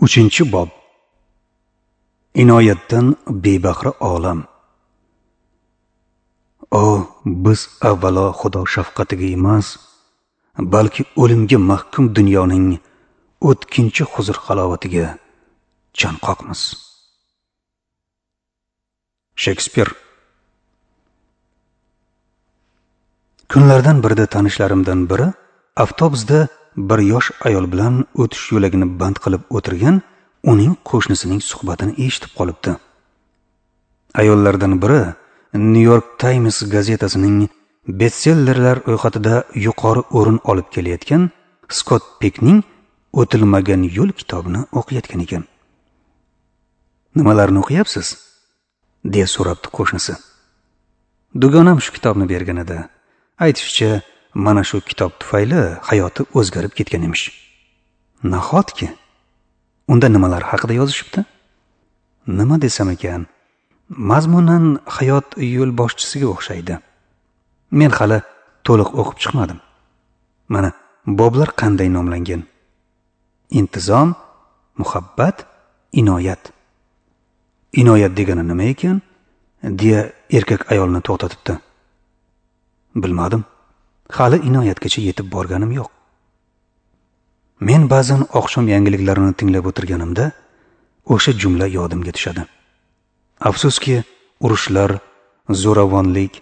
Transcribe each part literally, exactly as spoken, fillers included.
Uchinchi bob. Inoyatdan bebahra olam. O, biz avvalo Xudo shafqatiga emas, balki o'limga mahkum dunyoning o'tkinchi huzur halovatiga chanqoqmiz. Shekspir. Kunlardan birida tanishlarimdan biri avtobusda bir yosh ayol bilan o'tish yo'lagini band qilib o'tirgan uning qo'shnisining suhbatini eshitib qolibdi. Ayollardan biri New York Times gazetasining bestsellerlar ro'yxatida yuqori o'rin olib kelayotgan Skott Peckning O'tilmagan yo'l kitobini o'qiyotgan ekan. "Nimalarni o'qiyapsiz?" deya so'rabdi qo'shnisi. "Dugonam shu kitobni bergan edi. Aytishicha, mana shu kitob tufayli hayoti o'zgarib ketgan emish." "Nahotki? Unda nimalar haqida yozishibdi?" "Nima desam ekan, mazmunan hayot yo'lboshchisiga o'xshaydi. Men hali to'liq o'qib chiqmadim. Mana boblar qanday nomlangan: Intizom, muhabbat, inoyat. Inoyat degani nima ekan?" deya erkak ayolni to'xtatibdi. "Bilmadim. Hali inoyatgacha yetib borganim yo'q." Men ba'zan oqshom yangiliklarini tinglab o'tirganimda o'sha jumla yodimga tushadi. Afsuski, urushlar, zo'ravonlik,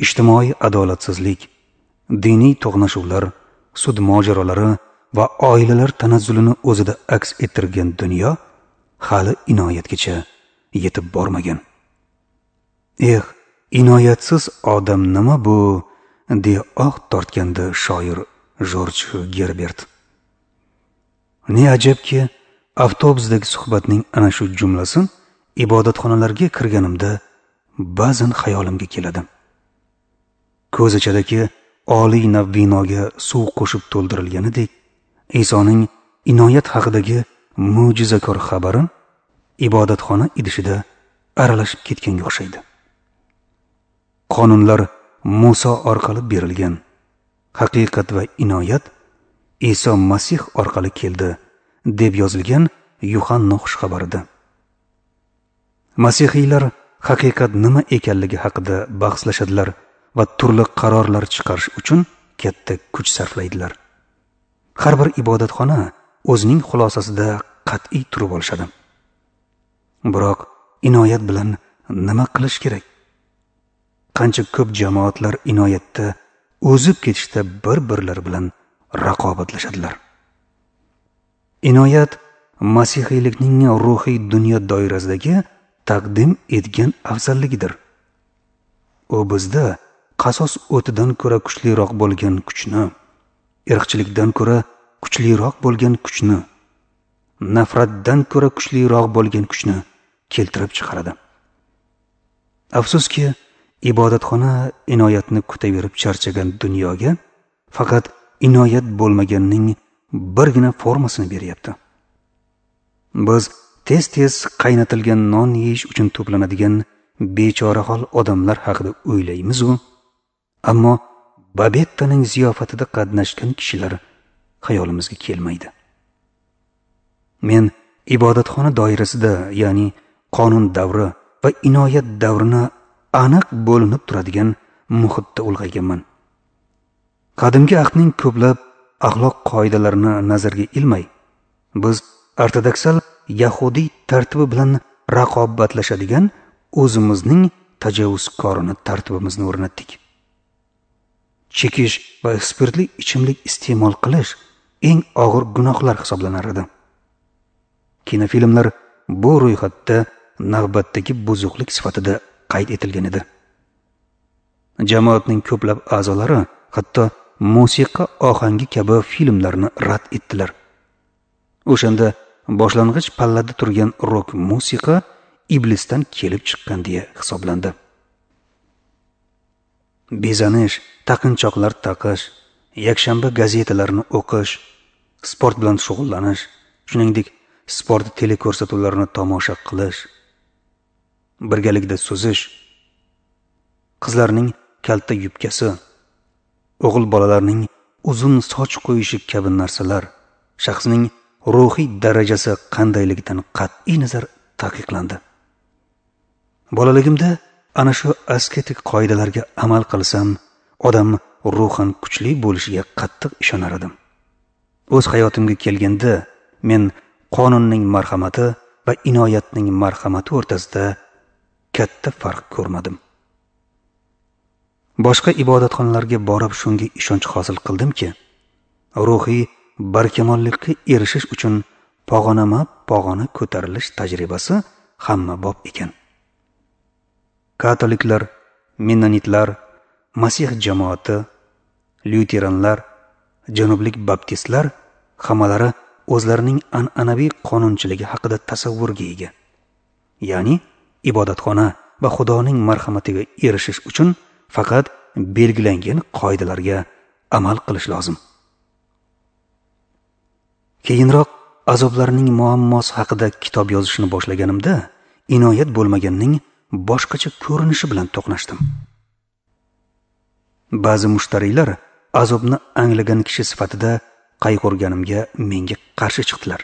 ijtimoiy adolatsizlik, diniy to'qnashuvlar, sud mojarolari va oilalar tanazzulini o'zida aks ettirgan dunyo hali inoyatgacha yetib bormagan. Eh, inoyatsiz odam nima bu, deya oh tortgandi shoir Jorj Gerbert. Ne ajabki, avtobusdagi suhbatning ana shu jumlasi ibodatxonalarga kirganimda ba'zan xayolimga keladi. Ko'zachadagi oliy nav binoga suv qo'shib to'ldirilganidek, Isoning inoyat haqidagi mo'jizakor xabari ibodatxona idishida aralashib ketganga o'xshaydi. Qonunlar Musa orqali berilgan, haqiqat va inoyat Iso Masih orqali keldi, deb yozilgan Yuhanna xushxabarida. Masihiylar haqiqat nima ekanligi haqida bahslashadilar va turli qarorlar chiqarish uchun katta kuch sarflaydilar. Har bir ibodatxona o'zining xulosasida qat'iy turib olishadi. Biroq inoyat bilan nima qilish kerak? Qancha ko'p jamoatlar inoyatda o'zib ketishda bir-birlari bilan raqobatlashadilar. Inoyat masihiylikning ruhiy dunyo doirasidagi taqdim etgan afzalligidir. U bizda qasos o'tidan ko'ra kuchliroq bo'lgan kuchni, irqchilikdan ko'ra kuchliroq bo'lgan kuchni, nafratdan ko'ra kuchliroq bo'lgan kuchni keltirib chiqaradi. Afsuski, ibodatxona inoyatni kutaverib charchagan dunyoga faqat inoyat bo'lmaganning birgina formasini beryapti. Biz tez-tez qaynatilgan non yeyish uchun to'planadigan bechorahol odamlar haqida o'ylaymiz-u, ammo Babettaning ziyofatida qatnashgan kishilar xayolimizga kelmaydi. Men ibodatxona doirasida, ya'ni qonun davri va inoyat davrini aniq bo'linib turadigan muhitda ulg'ayganman. Qadimgi ahdning ko'plab axloq qoidalarini nazarga ilmay, biz ortodoksal yahudiy tartibi bilan raqobatlashadigan o'zimizning tajovuzkorona tartibimizni o'rnatdik. Chekish va spirtli ichimlik iste'mol qilish eng og'ir gunohlar hisoblanar edi. Kinofilmlar bu ro'yxatda navbatdagi buzuqlik sifatida qayd etilgan edi. Jamoatning ko'plab a'zolari hatto musiqa ohangi kabi filmlarni rad etdilar. O'shanda boshlang'ich pallada turgan rok musiqa iblisdan kelib chiqqan deya hisoblandi. Bezanish, taqinchoqlar taqish, yakshanba gazetalarini o'qish, sport bilan shug'ullanish, shuningdek sport teleko'rsatuvlarini tomosha qilish, birgalikda suzish, qizlarning kalta yubkasi, o'g'il bolalarning uzun soch qo'yishi kabi narsalar shaxsning ruhiy darajasi qandayligidan qat'iy nazar taqiqlandi. Bolaligimda ana shu asketik qoidalarga amal qilsam, odam ruhan kuchli bo'lishiga qattiq ishonar edim. O'z hayotimga kelganda, men qonunning marhamati va inoyatning marhamati o'rtasida katta farq ko'rmadim. Boshqa ibodatxonalarga borib shunga ishonch hosil qildimki, ruhiy barkamollikka erishish uchun pog'onama-pog'ona ko'tarilish tajribasi hamma bob ekan. Katoliklar, mennonitlar, Masih jamoati, lyuteranlar, janublik baptistlar hammalari o'zlarining an'anaviy qonunchiligi haqida tasavvurga ega. Ya'ni ibodatxona va Xudoning marhamatiga erishish uchun faqat belgilangan qoidalarga amal qilish lozim. Keyinroq azoblarning muammosi haqida kitob yozishni boshlaganimda, inoyat bo'lmaganning boshqacha ko'rinishi bilan to'qnashdim. Ba'zi mushtariylar azobni anglagan kishi sifatida qayg'urganimga menga qarshi chiqdilar.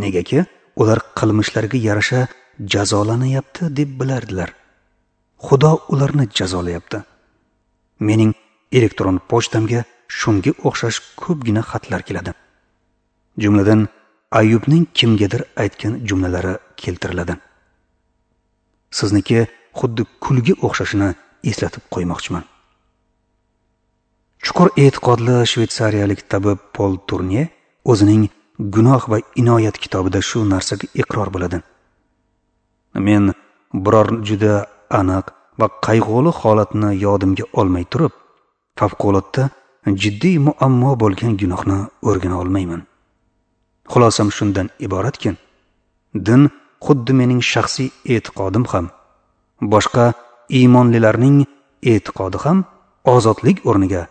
Negaki ular qilmishlariga yarasha jazolanyapti deb bilardilar. Xudo ularni jazolayapti. Mening elektron pochtamga shunga o'xshash ko'pgina xatlar keladi. Jumladan Ayyubning kimgadir aytgan jumlalari keltiriladi. Sizniki xuddi kulga o'xshashini eslatib qo'ymoqchiman. Chuqur e'tiqodli shvetsariyalik tabib Pol Turne o'zining Gunoh va inoyat kitobida shu narsaga iqror bo'ladi. Men biror juda aniq va qayg'uli holatni yodimga olmay turib, favqulodda jiddiy muammo bo'lgan gunohni o'rgana olmayman. Xulosam shundan iboratki, din xuddi mening shaxsiy e'tiqodim ham, boshqa iymonlilarning e'tiqodi ham ozodlik o'rniga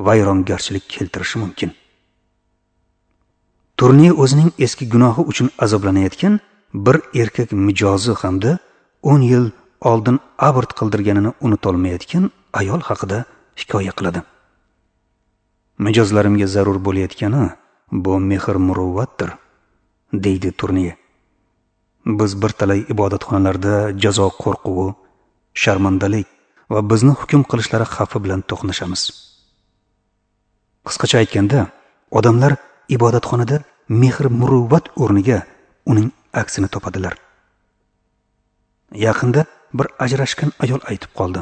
vayrongarchilik keltirishi mumkin. Turne o'zining eski gunohi uchun azoblanayotgan bir erkak mijozi hamda o'n yil oldin abort qildirganini unutolmayotgan ayol haqida hikoya qiladi. Mijozlarimga zarur bo'layotgani bu mehr-muruvvatdir, deydi Turne. Biz bir talay ibodatxonalarda jazo qo'rquvi, sharmandalik va bizni hukm qilishlari xavfi bilan to'qnashamiz. Qisqacha aytganda, odamlar ibodatxonada mehr-muruvvat o'rniga uning aksini topadilar. Yaqinda bir ajrashgan ayol aytib qoldi.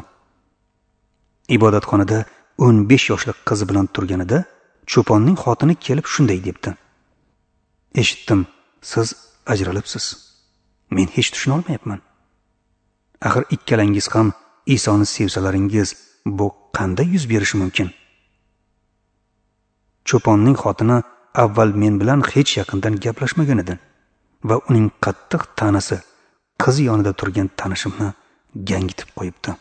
Ibodatxonada o'n besh yoshli qizi bilan turganida cho'ponning xotini kelib shunday debdi: "Eshitdim, siz ajralibsiz. Men hech tushuna olmayapman. Axir ikkalangiz ham Isoni sevsalaringiz, bu qanday yuz berishi mumkin?" Cho'ponning xotini avval men bilan hech yaqindan gaplashmagan edi va uning qattiq ta'nasi qizi yonida turgan tanishimni gangitib qo'yibdi.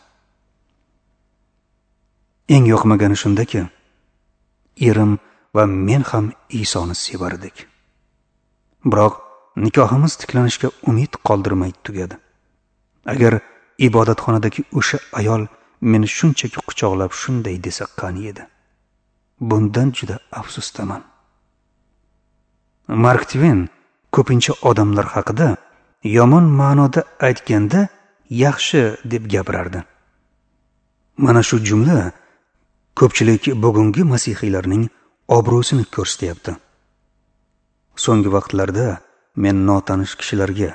Eng yoqmagani shundaki, erim va men ham Isoni sevar edik. Biroq nikohimiz tiklanishga umid qoldirmay tugadi. Agar ibodatxonadagi o'sha ayol meni shunchaki quchoqlab shunday desa qani edi. Bundan juda afsusdaman. Mark Tven ko'pincha odamlar haqida yomon ma'noda aytganda yaxshi deb gapirardi. Mana shu jumla ko'pchilik bugungi masihiylarning obro'sini ko'rsatyapti. So'nggi vaqtlarda men notanish kishilarga,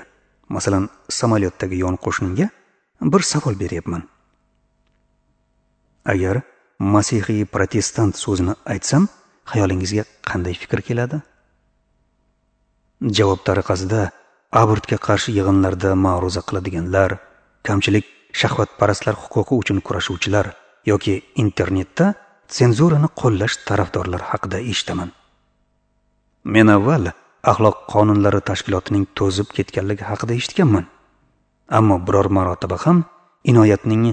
masalan, samolyotdagi yon qo'shnimga bir savol beryapman. Agar masihiy protestant so'zini aytsam, xayolingizga qanday fikr keladi? Javob tariqasida abortga qarshi yig'inlarda ma'ruza qiladiganlar, kamchilik shahvatparastlar huquqi uchun kurashuvchilar yoki internetda senzurani qo'llash tarafdorlari haqida eshitaman. Men avval axloq qonunlari tashkilotining to'zib ketganligi haqida eshitganman. Ammo biror marotaba ham inoyatning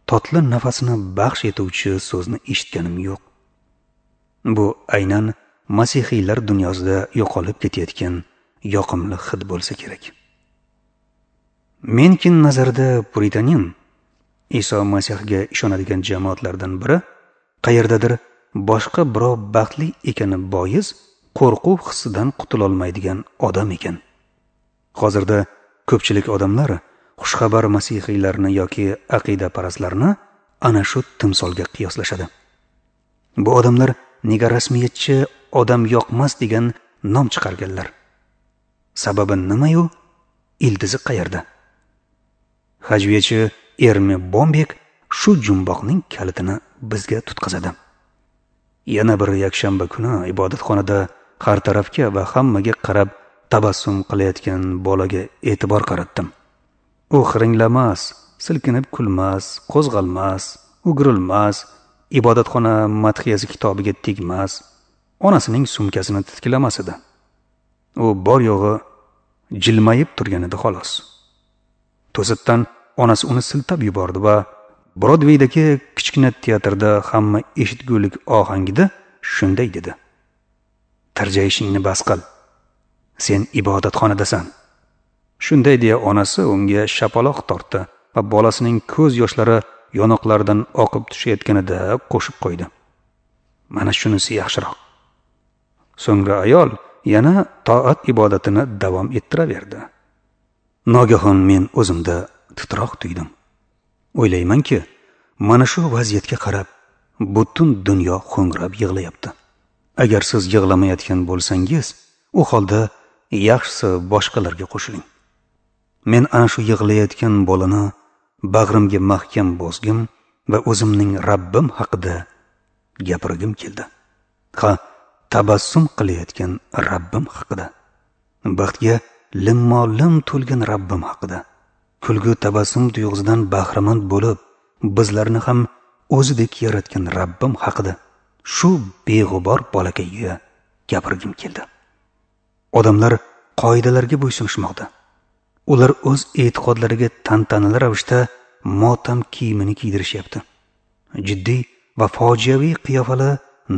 totli nafasini baxsh etuvchi so'zni eshitganim yo'q. Bu aynan masihiylar dunyosida yo'qolib ketayotgan yoqimli hid bo'lsa kerak. Menkin nazarida puritanin Iso Masihga ishonadigan jamoatlardan biri qayerdadir boshqa birov baxtli ekani bois qo'rquv hissidan qutulolmaydigan odam ekan. Hozirda ko'pchilik odamlar xushxabar masihiylarni yoki aqidaparastlarni ana shu timsolga qiyoslashadi. Bu odamlar nega rasmiyatchi odam yoqmas degan nom chiqarganlar? Sababi nima-yu, ildizi qayerda? Hajviyachi Ermi Bombek shu jumboqning kalitini bizga tutqazadi. Yana bir yakshanba kuni ibodatxonada har tarafga va hammaga qarab tabassum qilayotgan bolaga e'tibor qaratdim. U xiringlamas, silkinib kulmas, qo'zg'almas, o'girilmas, ibodatxona madhiyasi kitobiga tegmas, onasining sumkasini titkilamas edi. U bor yo'g'i jilmayib turgan edi xolos. To'satdan onasi uni siltab yubordi va Brodveydagi kichkina teatrda hamma eshitgulik ohangida shunday dedi: "Tirjayishingni bas qil. Sen ibodatxonadasan." Shunday deya onasi unga shapaloq tortdi va bolasining ko'z yoshlari yonoqlaridan oqib tushayotganida qo'shib qo'ydi: "Mana shunisi yaxshiroq." So'ngra ayol yana toat ibodatini davom ettiraverdi. Nogahon men o'zimda titroq tuydim. O'ylaymanki, mana shu vaziyatga qarab butun dunyo ho'ngrab yig'layapti. Agar siz yig'lamayotgan bo'lsangiz, u holda yaxshisi boshqalarga qo'shiling. Men ana shu yig'layotgan bolani bag'rimga mahkam bosgim va o'zimning Rabbim haqida gapirgim keldi. Ha, tabassum qilayotgan Rabbim haqida. Baxtga limmo-lim to'lgan Rabbim haqida. Kulgu tabassum tuyg'usidan bahramand bo'lib, bizlarni ham o'zidek yaratgan Rabbim haqida shu beg'ubor bolakayga gapirgim keldi. Odamlar qoidalarga bo'ysunishmoqda. Ular o'z e'tiqodlariga tantanali ravishda motam kiyimini kiydirishyapti. Jiddiy va fojiaviy qiyofali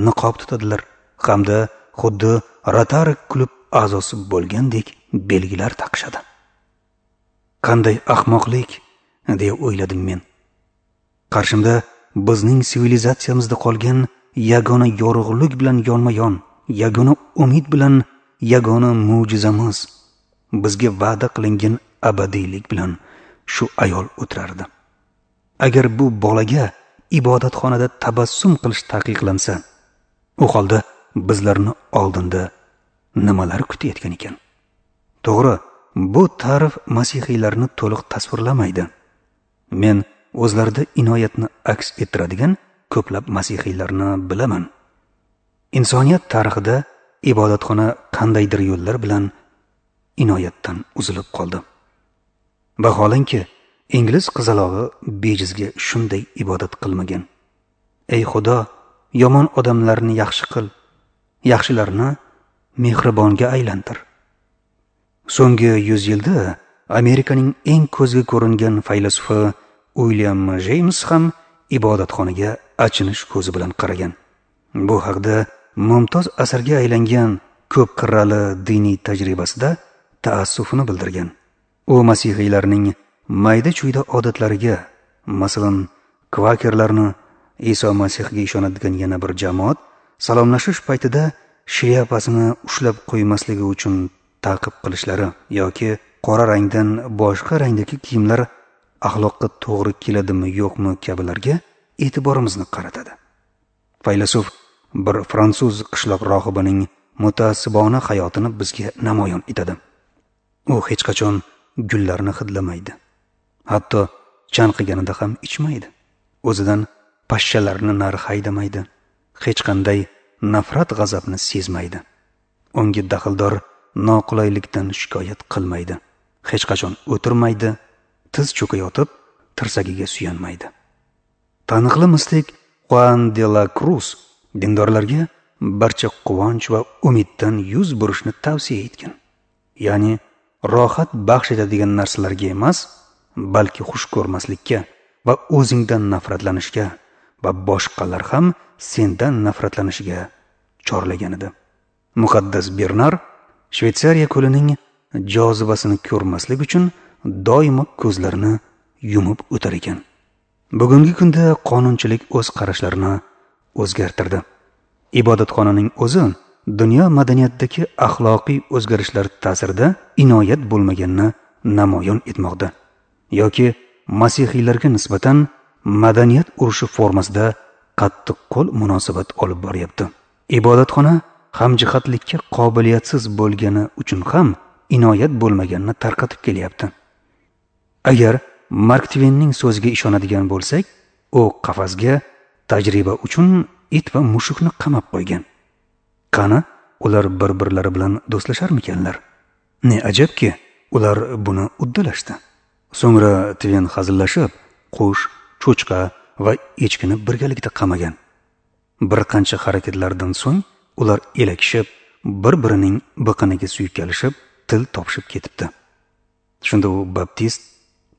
niqob tutadilar hamda xuddi Rotary klub a'zosi bo'lgandek belgilar taqishadi. Qanday ahmoqlik, deya o'yladim men. Qarshimda bizning sivilizatsiyamizda qolgan yagona yorug'lik bilan yonma-yon, yagona umid bilan yagona mo'jizamiz, bizga va'da qilingan abadiylik bilan shu ayol o'tirardi. Agar bu bolaga ibodatxonada tabassum qilish taqiqlansa, u holda bizlarni oldinda nimalar kutayotgan ekan? To'g'ri, bu ta'rif masihiylarni to'liq tasvirlamaydi. Men o'zlarida inoyatni aks ettiradigan ko'plab masihiylarni bilaman. Insoniyat tarixida ibodatxona qandaydir yo'llar bilan inoyatdan uzilib qoldi. Vaholanki, ingliz qizalog'i bejizga shunday ibodat qilmagan. Ey Xudo, yomon odamlarni yaxshi qil, yaxshilarni mehribonga aylantir. So'nggi yuz yilda Amerikaning eng ko'zga ko'ringan faylasufi Uilyam Jeyms ham ibodatxonaga achinish ko'zi bilan qaragan. Bu haqda mumtoz asarga aylangan ko'p qirrali diniy tajribasida taassufini bildirgan. U masihiylarning mayda-chuyda odatlariga, masalan, kvakerlarni Iso Masihga ishonadigan yana bir jamoat salomlashish paytida shlyapasini ushlab qo'ymasligi uchun ta'qib qilishlari yoki qora rangdan boshqa rangdagi kiyimlar axloqqa to'g'ri keladimi yo'qmi kabilarga e'tiborimizni qaratadi. Faylasuf bir fransuz qishloq rohibining mutaassibona hayotini bizga namoyon etadi. U hech qachon gullarni hidlamaydi. Hatto chanqiganida ham ichmaydi. O'zidan pashshalarni nari haydamaydi. Hech qanday nafrat g'azabni sezmaydi. Unga daxldor noqulaylikdan shikoyat qilmaydi. Hech qachon o'tirmaydi, tiz cho'kayotib tirsagiga suyanmaydi. Taniqli mistik Juan de la Cruz dindorlarga barcha quvonch va umiddan yuz burishni tavsiya etgan. Ya'ni rohat baxsh etadigan narsalarga emas, balki xush ko'rmaslikka va o'zingdan nafratlanishga va boshqalar ham sendan nafratlanishiga chorlagan edi. Muqaddas Bernar Shvetsariya ko'lining jozibasini ko'rmaslik uchun doimo ko'zlarini yumib o'tar ekan. Bugungi kunda qonunchilik o'z qarashlarini o'zgartirdi. Ibodatxonaning o'zi dunyo madaniyatidagi axloqiy o'zgarishlar ta'sirida inoyat bo'lmaganini namoyon etmoqda yoki masihiylarga nisbatan madaniyat urushi formasida qattiq qo'l munosabat olib boryapti. Ibodatxona hamjihatlikka qobiliyatsiz bo'lgani uchun ham inoyat bo'lmaganini tarqatib kelyapti. Agar Mark Tvenning so'ziga ishonadigan bo'lsak, u qafasga tajriba uchun it va mushukni qamab qo'ygan. Qani, ular bir-birlari bilan do'stlasharmikanlar? Ne ajabki, ular buni uddalashdi. So'ngra Tven hazillashib, qush, cho'chqa va echkini birgalikda qamagan. Bir qancha harakatlardan so'ng ular elakishib, bir-birining biqiniga suykalishib, til topishib ketibdi. Shunda u baptist,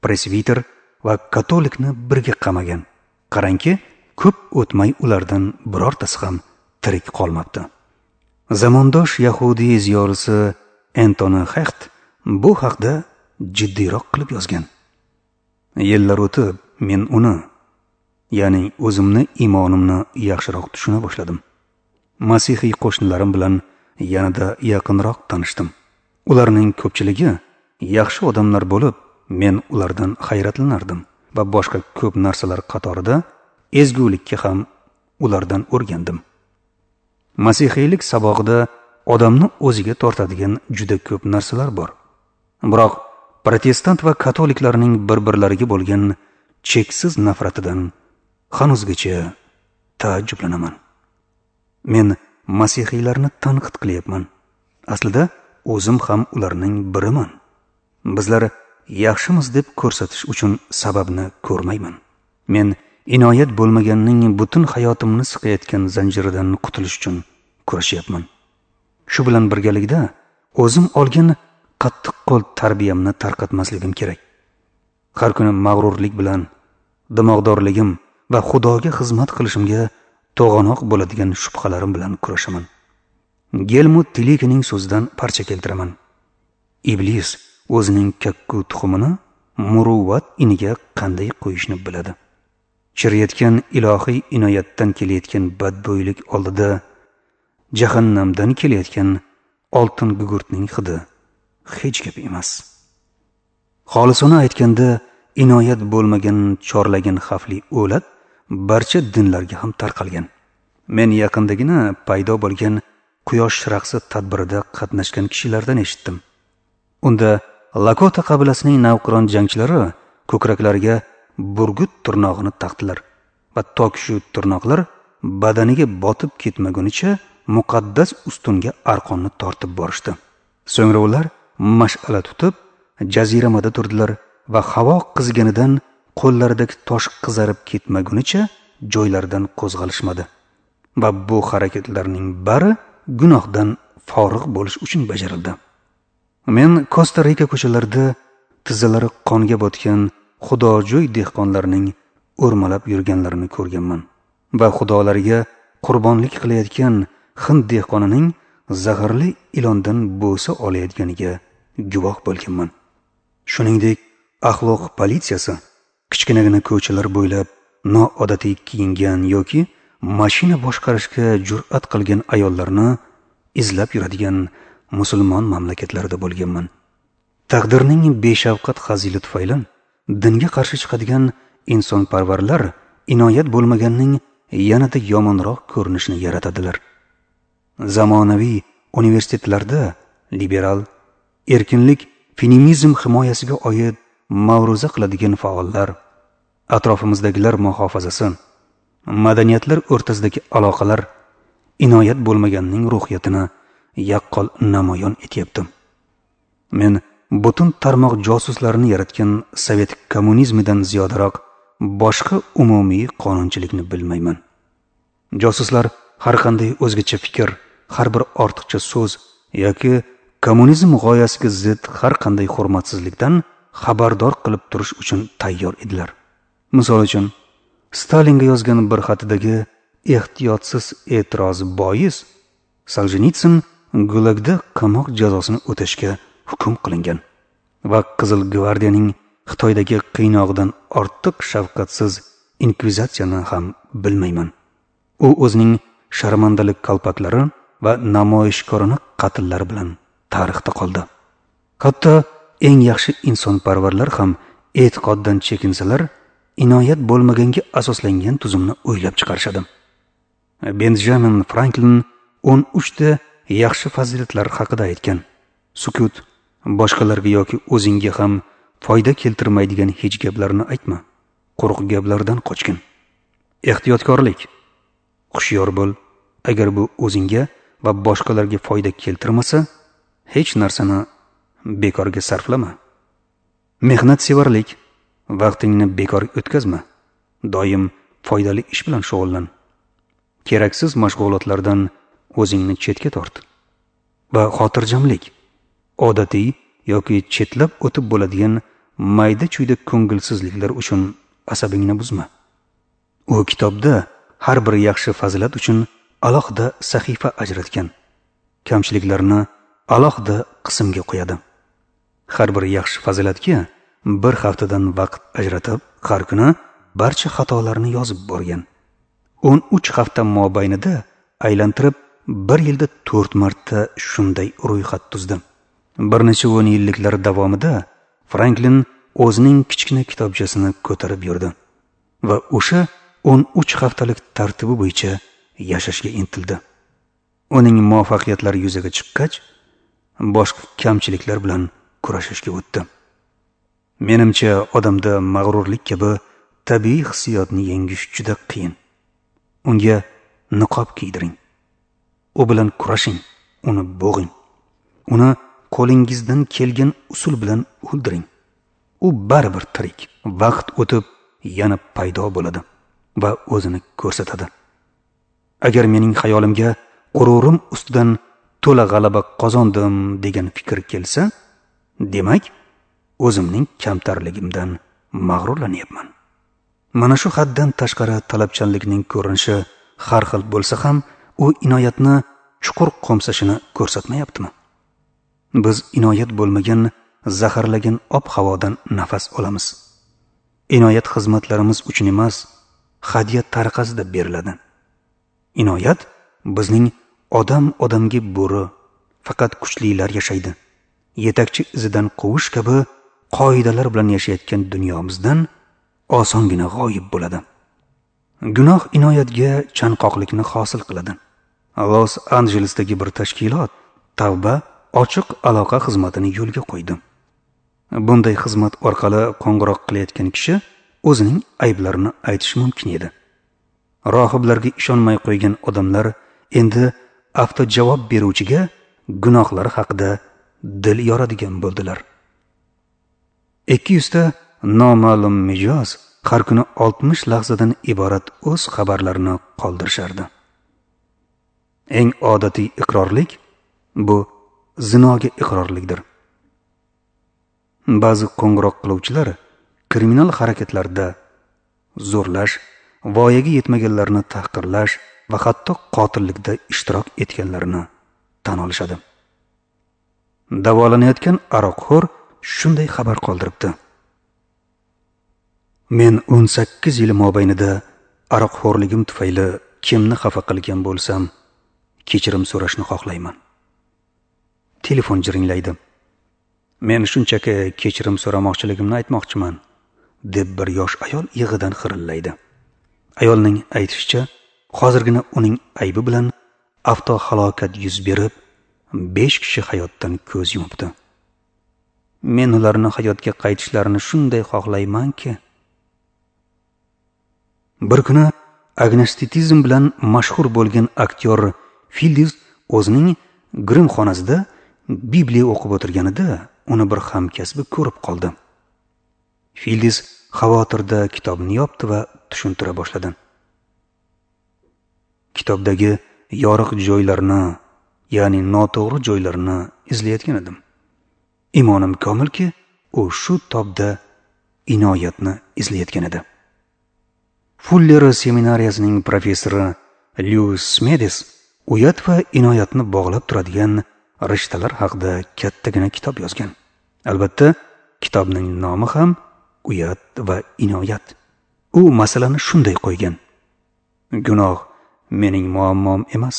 presbiter va katolikni birga qamagan. Qarangki, ko'p o'tmay ulardan birortasi ham tirik qolmabdi. Zamondosh yahudiy ziyolisi Entoni Hecht bu haqda jiddiyroq qilib yozgan. Yillar o'tib men uni, ya'ni o'zimni iymonimni yaxshiroq tushuna boshladim. Masihiy qo'shnilarim bilan yanada yaqinroq tanishdim. Ularning ko'pchiligi yaxshi odamlar bo'lib, men ulardan hayratlanardim va boshqa ko'p narsalar qatorida ezgulikka ham ulardan o'rgandim. Masihiylik sabog'ida odamni o'ziga tortadigan juda ko'p narsalar bor. Biroq protestant va katoliklarning bir-birlariga bo'lgan cheksiz nafratidan hanuzgacha taajjublanaman. Men masihiylarni tanqid qilyapman. Aslida o'zim ham ularning biriman. Bizlar yaxshimiz deb ko'rsatish uchun sababni ko'rmayman. Men inoyat bo'lmaganning butun hayotimni siqayotgan zanjiridan qutulish uchun kurashyapman. Shu bilan birgalikda o'zim olgan qattiq qo'l tarbiyamni tarqatmasligim kerak. Har kuni mag'rurlik bilan dimog'dorligim va Xudoga xizmat qilishimga to'g'anoq bo'ladigan shubhalarim bilan kurashaman. Gelmut Tilikining so'zidan parcha keltiraman. Iblis o'zining kakku tuxumini muruvvat iniga qanday qo'yishni biladi. Chiriyotgan ilohiy inoyatdan kelayotgan badbo'ylik oldida jahannamdan kelayotgan oltin gugurtning hidi hech gap emas. Xolisona aytganda, inoyat bo'lmagan chorlagan xavfli o'lat barcha dinlarga ham tarqalgan. Men yaqindagina paydo bo'lgan quyosh raqsi tadbirida qatnashgan kishilardan eshitdim. Unda Lakota qabilasining navqiron jangchilari ko'kraklariga burgut tirnog'ini taqdilar va toki shu tirnoqlar badaniga botib ketmagunicha muqaddas ustunga arqonni tortib borishdi. So'ngra ular mash'ala tutib jaziramada turdilar va havo qiziganidan qo'llaridagi tosh qizarib ketmagunicha joylaridan qo'zg'alishmadi. Va bu harakatlarning bari gunohdan forig' bo'lish uchun bajarildi. Men Kosta Rika ko'chalarida tizzalari qonga botgan xudojo'y dehqonlarning o'rmalab yurganlarini ko'rganman va xudolarga qurbonlik qilayotgan hind dehqonining zaharli ilondan bo'sa olayotganiga guvoh bo'lganman. Shuningdek, axloq politsiyasi kichkinagina ko'chalar bo'ylab noodatiy kiyingan yoki mashina boshqarishga jur'at qilgan ayollarni izlab yuradigan musulmon mamlakatlarida bo'lganman. Taqdirning beshafqat hazili tufayli dinga qarshi chiqadigan insonparvarlar inoyat bo'lmaganning yanada yomonroq ko'rinishini yaratadilar. Zamonaviy universitetlarda liberal, erkinlik, feminizm himoyasiga oid ma'ruza qiladigan faollar, atrofimizdagilar muhofazasi, madaniyatlar o'rtasidagi aloqalar inoyat bo'lmaganning ruhiyatini yaqqol namoyon etyapti. Men butun tarmoq josuslarini yaratgan sovet kommunizmidan ziyodaroq boshqa umumiy qonunchilikni bilmayman. Josuslar har qanday o'zgacha fikr, har bir ortiqcha so'z yoki kommunizm g'oyasiga zid har qanday hurmatsizlikdan xabardor qilib turish uchun tayyor edilar. Misol uchun, Stalinga yozgan bir xatidagi ehtiyotsiz e'tiroz bois Soljenitsin Gulagda qamoq jazosini o'tashga hukm qilingan va Qizil gvardiyaning Xitoydagi qiynog'idan ortiq shafqatsiz inkvizitsiyani ham bilmayman. U o'zining sharmandalik kalpaklari va namoyishkorona qatllar bilan tarixda qoldi. Hatto eng yaxshi insonparvarlar ham e'tiqoddan chekinsalar, inoyat bo'lmaganga asoslangan tuzumni o'ylab chiqarishadi. Benjamin Franklin o'n uchta yaxshi fazilatlar haqida aytgan. Sukut, boshqalarga yoki o'zingga ham foyda keltirmaydigan hech gaplarni aytma. Quruq gaplardan qochgin. Ehtiyotkorlik. Hushyor bo'l. Agar bu o'zingga va boshqalarga foyda keltirmasa, hech narsani bekorga sarflama. Mehnatsevarlik. Vaqtingni bekor o'tkazma. Doim foydali ish bilan shug'ullan. Keraksiz mashg'ulotlardan o'zingni chetga tort. Va xotirjamlik. Odatiy yoki chetlab o'tib bo'ladigan mayda-chuyda ko'ngilsizliklar uchun asabingni buzma. U kitobda har bir yaxshi fazilat uchun alohida sahifa ajratgan. Kamchiliklarni alohida qismga qo'yadi. Har bir yaxshi fazilatga bir haftadan vaqt ajratib, har kuni barcha xatolarni yozib borgan. o'n uch hafta mobaynida aylantirib bir yilda to'rt marta shunday ro'yxat tuzdi. Bir necha o'n yilliklar davomida Franklin o'zining kichkina kitobchasini ko'tarib yurdi va o'sha o'n uch haftalik tartibi bo'yicha yashashga intildi. Uning muvaffaqiyatlari yuzaga chiqqach, boshqa kamchiliklar bilan kurashishga o'tdi. Menimcha, odamda mag'rurlik kabi tabiiy hissiyotni yengish juda qiyin. Unga niqob kiydiring. U bilan kurashing, uni bo'g'ing. Uni qo'lingizdan kelgan usul bilan o'ldiring. U baribir tirik. Vaqt o'tib yana paydo bo'ladi va o'zini ko'rsatadi. Agar mening xayolimga g'ururim ustidan to'la g'alaba qozondim degan fikr kelsa, demak, o'zimning kamtarligimdan mag'rurlanyapman. Mana shu haddan tashqari talabchanlikning ko'rinishi har xil bo'lsa ham, u inoyatni chuqur qo'msashini ko'rsatmayaptimi? Biz inoyat bo'lmagan, zaharlagan ob-havodan nafas olamiz. Inoyat xizmatlarimiz uchun emas, hadya tariqasida beriladi. Inoyat bizning odam odamga bo'ri, faqat kuchlilar yashaydi, yetakchi izidan quvish kabi qoidalar bilan yashayotgan dunyomizdan osongina g'oyib bo'ladi. Gunoh inoyatga chanqoqlikni hosil qiladi. Los Anjelesdagi bir tashkilot tavba ochiq aloqa xizmatini yo'lga qo'ydi. Bunday xizmat orqali qo'ng'iroq qilayotgan kishi o'zining ayblarini aytishi mumkin edi. Rohiblarga ishonmay qo'ygan odamlar endi avtojavob beruvchiga gunohlari haqida dil yoradigan bo'ldilar. ikki yuzta noma'lum mijoz har kuni oltmish lahzadan iborat o'z xabarlarini qoldirishardi. Eng odatiy iqrorlik bu zinoga iqrorlikdir. Ba'zi qo'ng'iroq qiluvchilar kriminal harakatlarda zo'rlash, voyaga yetmaganlarni tahqirlash va hatto qotillikda ishtirok etganlarini tan olishadi. Davolanayotgan aroqxo'r shunday xabar qoldiribdi: Men o'n sakkiz yil mobaynida aroqxo'rligim tufayli kimni xafa qilgan bo'lsam, kechirim so'rashni xohlayman. Telefon jiringlaydi. Men shunchaki kechirim so'ramoqchiligimni aytmoqchiman, deb bir yosh ayol yig'idan xirillaydi. Ayolning aytishicha, hozirgina uning aybi bilan avtohalokat yuz berib, besh kishi hayotdan ko'z yumibdi. Men ularni hayotga qaytishlarini shunday xohlaymanki. Bir kuni agnostitsizm bilan mashhur bo'lgan aktyor Fildiz o'zining grim xonasida Bibliya o'qib o'tirganida uni bir hamkasbi ko'rib qoldi. Fildiz xavotirda kitobni yopdi va tushuntira boshladi. Kitobdagi yoriq joylarni, ya'ni noto'g'ri joylarni izlayotgan edim. Imonim komilki, u shu tobda inoyatni izlayotgan edi. Fuller seminariyasining professori Lyuis Smedes uyat va inoyatni bog'lab turadigan rishtalar haqida kattagina kitob yozgan. Albatta, kitobning nomi ham Uyat va inoyat. U masalani shunday qo'ygan: Gunoh mening muammom emas.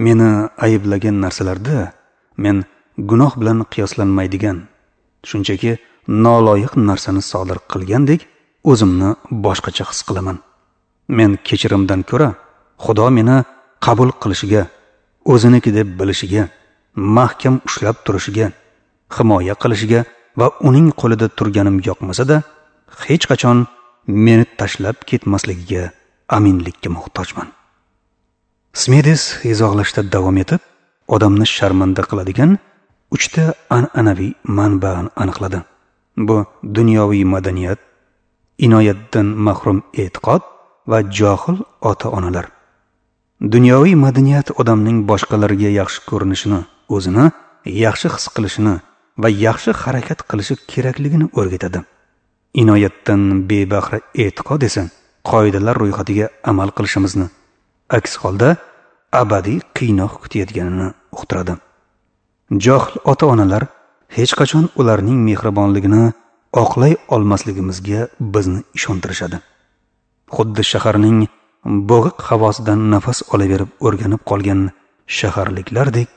Meni ayblagan narsalarda men gunoh bilan qiyoslanmaydigan, shunchaki noloyiq narsani sodir qilgandek o'zimni boshqacha his qilaman. Men kechirimdan ko'ra Xudo meni qabul qilishiga, o'ziniki deb bilishiga, mahkam ushlab turishiga, himoya qilishiga va uning qo'lida turganim yoqmasa-da, hech qachon meni tashlab ketmasligiga aminlikka muhtojman. Smedes izohlashda davom etib, odamni sharmanda qiladigan uchta an'anaviy manba'ni aniqladi. Bu dunyoviy madaniyat, inoyatdan mahrum e'tiqod va johil ota-onalar. Dunyoviy madaniyat odamning boshqalarga yaxshi ko'rinishini, o'zini yaxshi his qilishini va yaxshi harakat qilishi kerakligini o'rgatadi. Inoyatdan bebahra e'tiqod esa qoidalar ro'yxatiga amal qilishimizni, aks holda abadiy qiynoq kutayotganini uqtiradi. Johil ota-onalar hech qachon ularning mehribonligini oqlay olmasligimizga bizni ishontirishadi. Xuddi shaharning bo'g'iq havosidan nafas olaverib o'rganib qolgan shaharliklardek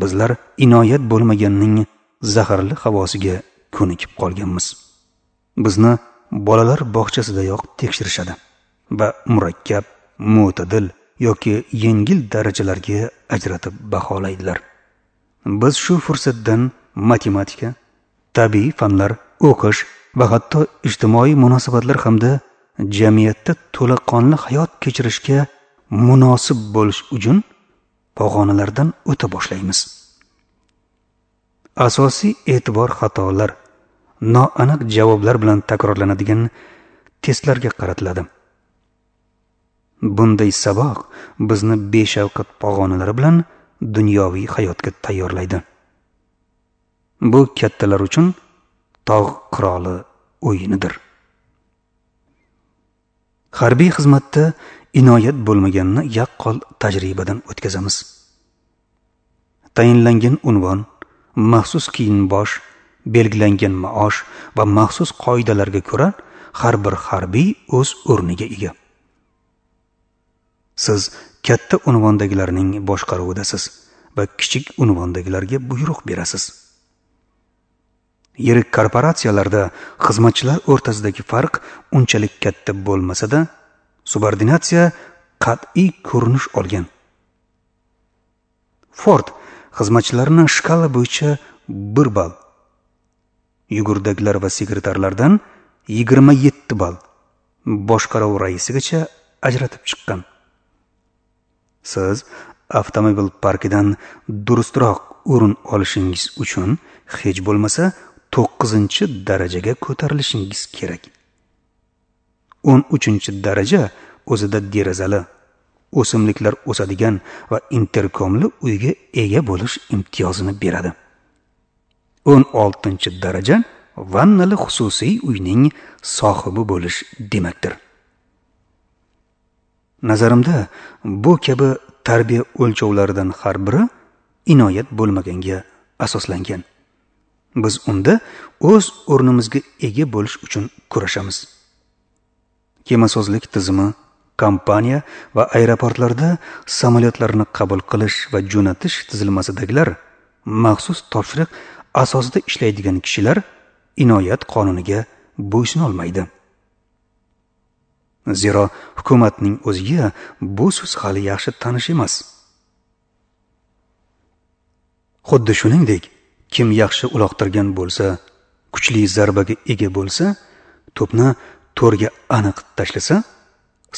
bizlar inoyat bo'lmaganning zaharli havosiga ko'nikib qolganmiz. Bizni bolalar bog'chasidayoq tekshirishadi va murakkab, mo'tadil yoki yengil darajalarga ajratib baholaydilar. Biz shu fursatdan matematika, tabiiy fanlar, o'qish va hatto ijtimoiy munosabatlar hamda jamiyatda to'laqonli hayot kechirishga munosib bo'lish uchun pog'onalardan o'ta boshlaymiz. Asosiy e'tibor xatolar, noaniq javoblar bilan takrorlanadigan testlarga qaratiladi. Bunday saboq bizni beshafqat pog'onalari bilan dunyoviy hayotga tayyorlaydi. Bu kattalar uchun tog' qiroli o'yinidir. Harbiy xizmatda inoyat bo'lmaganini yaqqol tajribadan o'tkazamiz. Tayinlangan unvon, maxsus kiyim-bosh, belgilangan maosh va maxsus qoidalarga ko'ra har bir harbiy o'z o'rniga ega. Siz katta unvondagilarning boshqaruvidasiz va kichik unvondagilarga buyruq berasiz. Yirik korporatsiyalarda xizmatchilar o'rtasidagi farq unchalik katta bo'lmasa-da, subordinatsiya qat'iy ko'rinish olgan. Ford xizmatchilarni shkala bo'yicha bir ball, yugurdaklar va sekretarlardan yigirma yetti ball, boshqaruv raisigacha ajratib chiqqan. Siz avtomobil parkidan durustroq o'rin olishingiz uchun hech bo'lmasa to'qqizinchi darajaga ko'tarilishingiz kerak. o'n uchinchi daraja o'zida derazali, o'simliklar o'sadigan va interkomli uyga ega bo'lish imtiyozini beradi. o'n oltinchi daraja vannali xususiy uyning sohibi bo'lish demakdir. Nazarimda bu kabi tarbiya o'lchovlaridan har biri inoyat bo'lmaganga asoslangan. Biz unda o'z o'rnimizga ega bo'lish uchun kurashamiz. Kemasozlik tizimi, kompaniya va aeroportlarda samolyotlarni qabul qilish va jo'natish tizilmasidagilar, maxsus topshiriq asosida ishlaydigan kishilar inoyat qonuniga bo'ysuna olmaydi. Zero hukumatning o'ziga bu so'z hali yaxshi tanish emas. Xuddi shuningdek, kim yaxshi uloqtirgan bo'lsa, kuchli zarbaga ega bo'lsa, to'pni to'rga aniq tashlasa,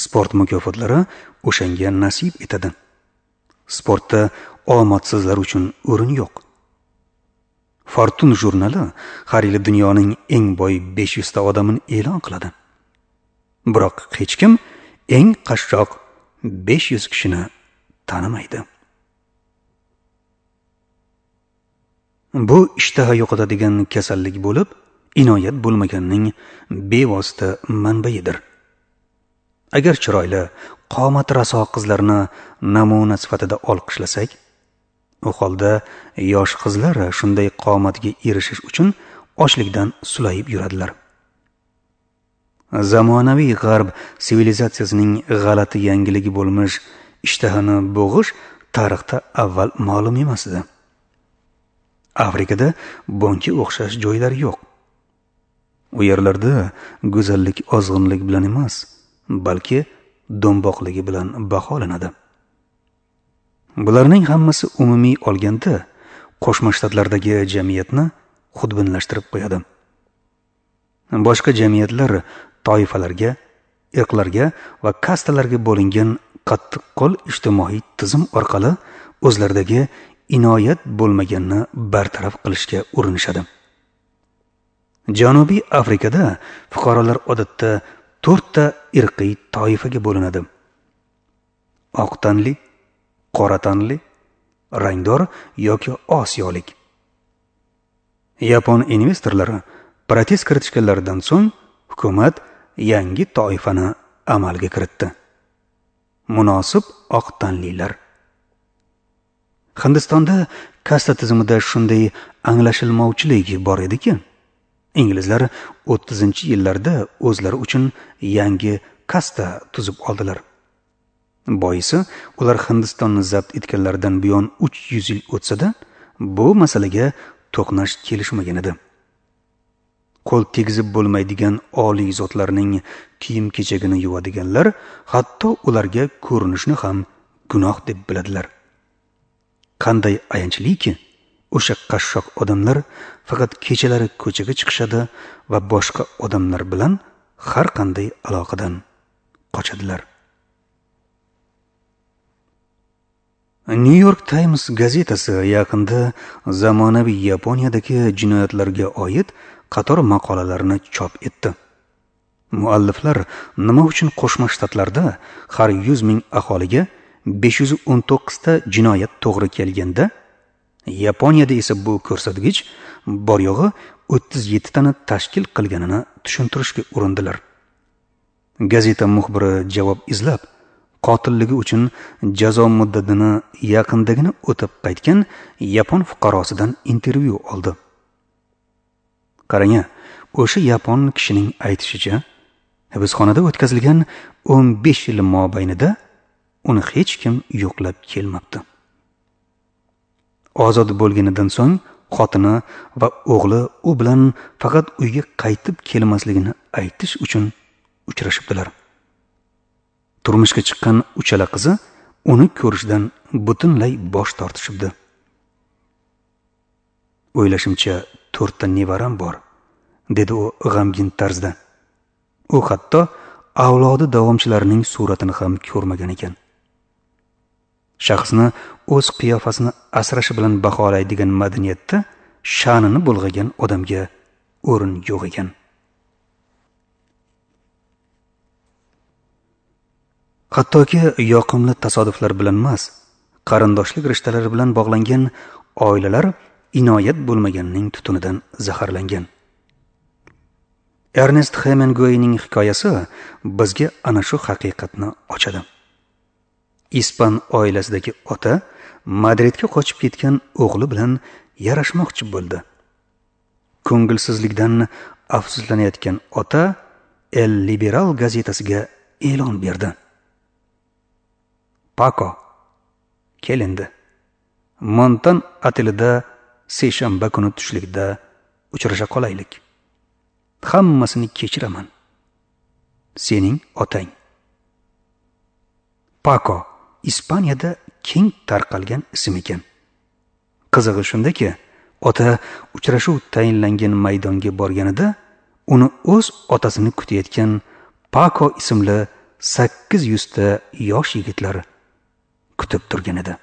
sport mukofotlari o'shanga nasib etadi. Sportda omadsizlar uchun o'rin yo'q. Fortune jurnali har yili dunyoning eng boy besh yuz ta odamini e'lon qiladi. Biroq hech kim eng qashshoq besh yuz kishini tanimaydi. Bu ishtaha yo'qotadigan kasallik bo'lib, inoyat bo'lmaganning bevosita manbaidir. Agar chiroyli, qomati raso qizlarni namuna sifatida olqishlasak, u holda yosh qizlar shunday qomatga erishish uchun ochlikdan sulayib yuradilar. Zamonaviy g'arb sivilizatsiyasining g'alati yangiligi bo'lmish ishtahani bo'g'ish tarixda avval ma'lum emas edi. Afrikada bunga o'xshash joylar yo'q. U yerlarda go'zallik ozg'inlik bilan emas, balki do'mboqligi bilan baholanadi. Bularning hammasi umumiy olganda Qo'shma Shtatlardagi jamiyatni xudbinlashtirib qo'yadi. Boshqa jamiyatlar toifalarga, irqlarga va kastalarga bo'lingan qattiqqo'l ijtimoiy tizim orqali o'zlaridagi inoyat bo'lmaganni bartaraf qilishga urinishadi. Janubiy Afrikada fuqarolar odatda to'rtta irqiy toifaga bo'linadi: oq tanli, qora tanli, rangdor yoki osiyolik. Yapon investorlari protest kiritishganlaridan so'ng hukumat yangi toifani amalga kiritdi: munosib oq tanlilar. Hindistonda kasta tizimida shunday anglashilmovchilik bor ediki, inglizlar o'ttizinchi yillarda o'zlari uchun yangi kasta tuzib oldilar. Boisi, ular Hindistonni zabt etganlaridan buyon uch yuz yil o'tsa-da, bu masalaga to'qnash kelishmagan edi. Qo'l tegizib bo'lmaydigan oliy zotlarning kiyim-kechagini yuvadiganlar hatto ularga ko'rinishni ham gunoh deb biladilar. Qanday ayanchlikki, o'sha qashshoq odamlar faqat kechalari ko'chaga chiqishadi va boshqa odamlar bilan har qanday aloqadan qochadilar. New York Times gazetasi yaqinda zamonaviy Yaponiyadagi jinoyatlarga oid qator maqolalarni chop etdi. Mualliflar nima uchun Qo'shma Shtatlarda har yuz ming aholiga besh yuz o'n to'qqiz ta jinoyat to'g'ri kelganda, Yaponiyada esa bu ko'rsatkich bor yo'g'i o'ttiz yetti tani tashkil qilganini tushuntirishga urindilar. Gazeta muxbiri javob izlab, qotilligi uchun jazo muddatini yaqindagina o'tib qaytgan yapon fuqarosidan intervyu oldi. Qarang, o'sha yapon kishining aytishicha, hibsxonada o'tkazilgan o'n besh yil mobaynida uni hech kim yo'qlab kelmabdi. Ozod bo'lganidan so'ng xotini va o'g'li u bilan faqat uyga qaytib kelmasligini aytish uchun uchrashibdilar. Turmushga chiqqan uchala qizi uni ko'rishdan butunlay bosh tortishibdi. O'ylashimcha to'rtta nevaram bor, dedi u g'amgin tarzda. U hatto avlodi davomchilarining suratini ham ko'rmagan ekan. Shaxsni o'z qiyofasini asrashi bilan baholaydigan madaniyatda sha'nini bulg'agan odamga o'rin yo'q ekan. Hattoki yoqimli tasodiflar bilan emas, qarindoshlik rishtalari bilan bog'langan oilalar inoyat bo'lmaganning tutunidan zaharlangan. Ernest Hemingwayning hikoyasi bizga ana shu haqiqatni ochadi. Ispan oilasidagi ota Madridga qochib ketgan o'g'li bilan yarashmoqchi bo'ldi. Ko'ngilsizlikdan afsuslanayotgan ota El Liberal gazetasiga e'lon berdi. Paco, kel endi. Montan otelida seshanba kuni tushlikda uchrasha qolaylik. Hammasini kechiraman. Sening otang. Paco Ispaniyada keng tarqalgan ism ekan. Qizig'i shundaki, ota uchrashuv tayinlangan maydonga borganida uni o'z otasini kutayotgan Paco ismli sakkiz yuzta yosh yigitlar kutib turgan edi.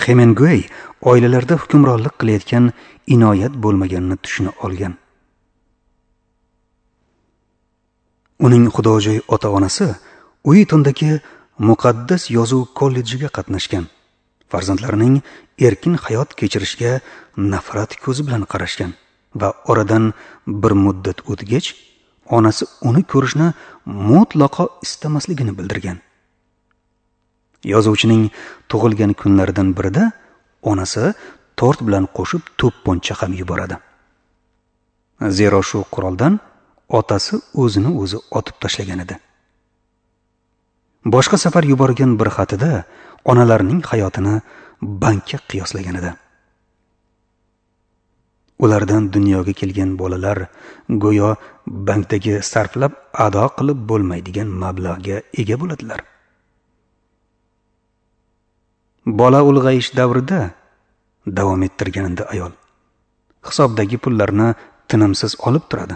Hemingway oilalarda hukmronlik qilayotgan inoyat bo'lmaganini tushuna olgan. Uning xudojo'y ota-onasi Uitondagi muqaddas yozuv kollejiga qatnashgan. Farzandlarining erkin hayot kechirishiga nafrat ko'zi bilan qarashgan va oradan bir muddat o'tgach, onasi uni ko'rishni mutlaqo istamasligini bildirgan. Yozuvchining tug'ilgan kunlaridan birida onasi tort bilan qo'shib to'pponcha ham yuboradi. Zero shu quroldan otasi o'zini o'zi otib tashlagan edi. Boshqa safar yuborgan bir xatida onalarning hayotini bankka qiyoslagan edi. Ulardan dunyoga kelgan bolalar go'yo bankdagi sarflab ado qilib bo'lmaydigan mablag'ga ega bo'ladilar. Bola ulg'ayish davrida davom ettirganida ayol hisobdagi pullarni tinimsiz olib turadi.